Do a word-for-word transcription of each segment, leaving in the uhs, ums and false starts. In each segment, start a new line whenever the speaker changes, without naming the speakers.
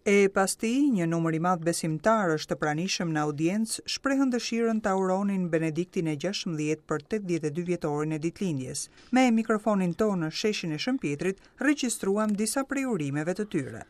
E pas tij, një numër i madh besimtarësh të pranishëm në audiencë shprehën dëshirën ta uronin Benediktin e gjashtëmbëdhjetë për tetëdhjetë e dy vjetorin e ditëlindjes. Me mikrofonin tonë në sheshin e Shën Pjetrit regjistruam disa prej urimeve të tyre.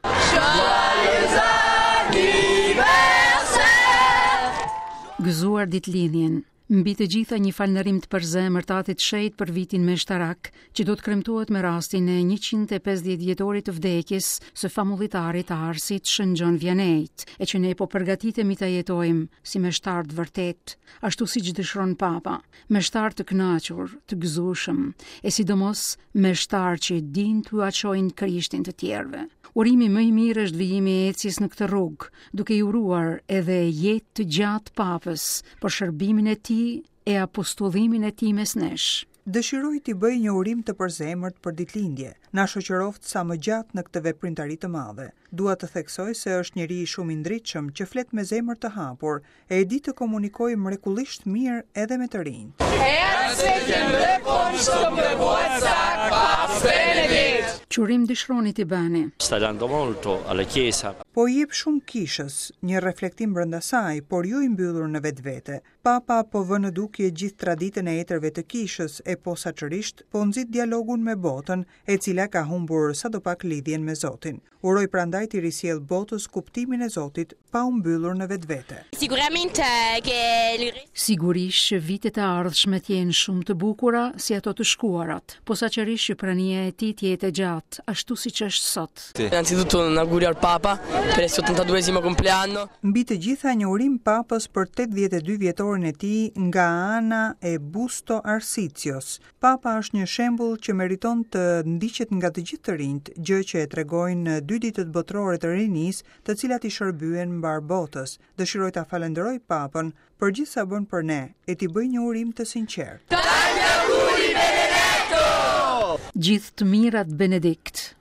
Gëzuar ditëlindjen. Mbi të gjitha një falënderim të përzemërt Atit Shejt për vitin meshtarak, që do të kremtohet me rastin e njëqind e pesëdhjetë vjetorit të vdekjes së famullitarit të Arsit Shën Gjon Vianneyt, e që ne po përgatitemi ta jetojmë si meshtar të vërtet, ashtu siç dëshiron Papa, meshtar të kënaqur, të gëzueshëm, e sidomos meshtar që din t'ua çojnë Krishtin të tjerëve. Urimi më i mirë është vijimi i ecjes në këtë rrugë, duke i uruar edhe jetë të gjatë Papës për shërbimin e tij e apostullimin e tij mes nesh.
Dëshiroj t'i bëj një urim të përzemërt për ditëlindje. Na shoqëroft sa më gjatë në këtë veprimtari të madhe. Dua të theksoj se është njeri shumë i ndritshëm që flet me zemër të hapur e e di të komunikojë mrekullisht mirë edhe me të rinjt.
Çurim dëshironi t'i bëni?
Sta dando molto alla Chiesa.
Po i jep shumë kishës, një reflektim brenda saj, por jo i mbyllur në vetvete. Papa po vë në dukje gjithë traditën e etërve të kishës e posaçërisht po nxit dialogun me botën, e cila ka humbur sadopak lidhjen me Zotin. Uroj prandaj t'i risjell botës kuptimin e Zotit pa u mbyllur në vetvete.
Sicuramente che
Sigurisht që vitet e ardhshme të jenë shumë të bukura si ato të shkuarat, posaçërisht që prania e tij të jetë e gjatë, ashtu siç është sot.
Innanzitutto un augurio al Papa per il suo ottantaduesimo compleanno.
Mbi të gjitha një urim Papës për tetëdhjetë e dy vjetorin e tij nga ana e Busto Arsicios. Papa është një shembull që meriton të ndiqet nga të gjithë të rinjt, gjë që e tregojnë dy ditët botërore të rinisë, të cilat i shërbyen mbar botës. Dëshiroj ta falenderoj Papën për gjithë sa bën për ne e t'i bëj një urim të sinqertë.
Gjithë të mirat Benedikt.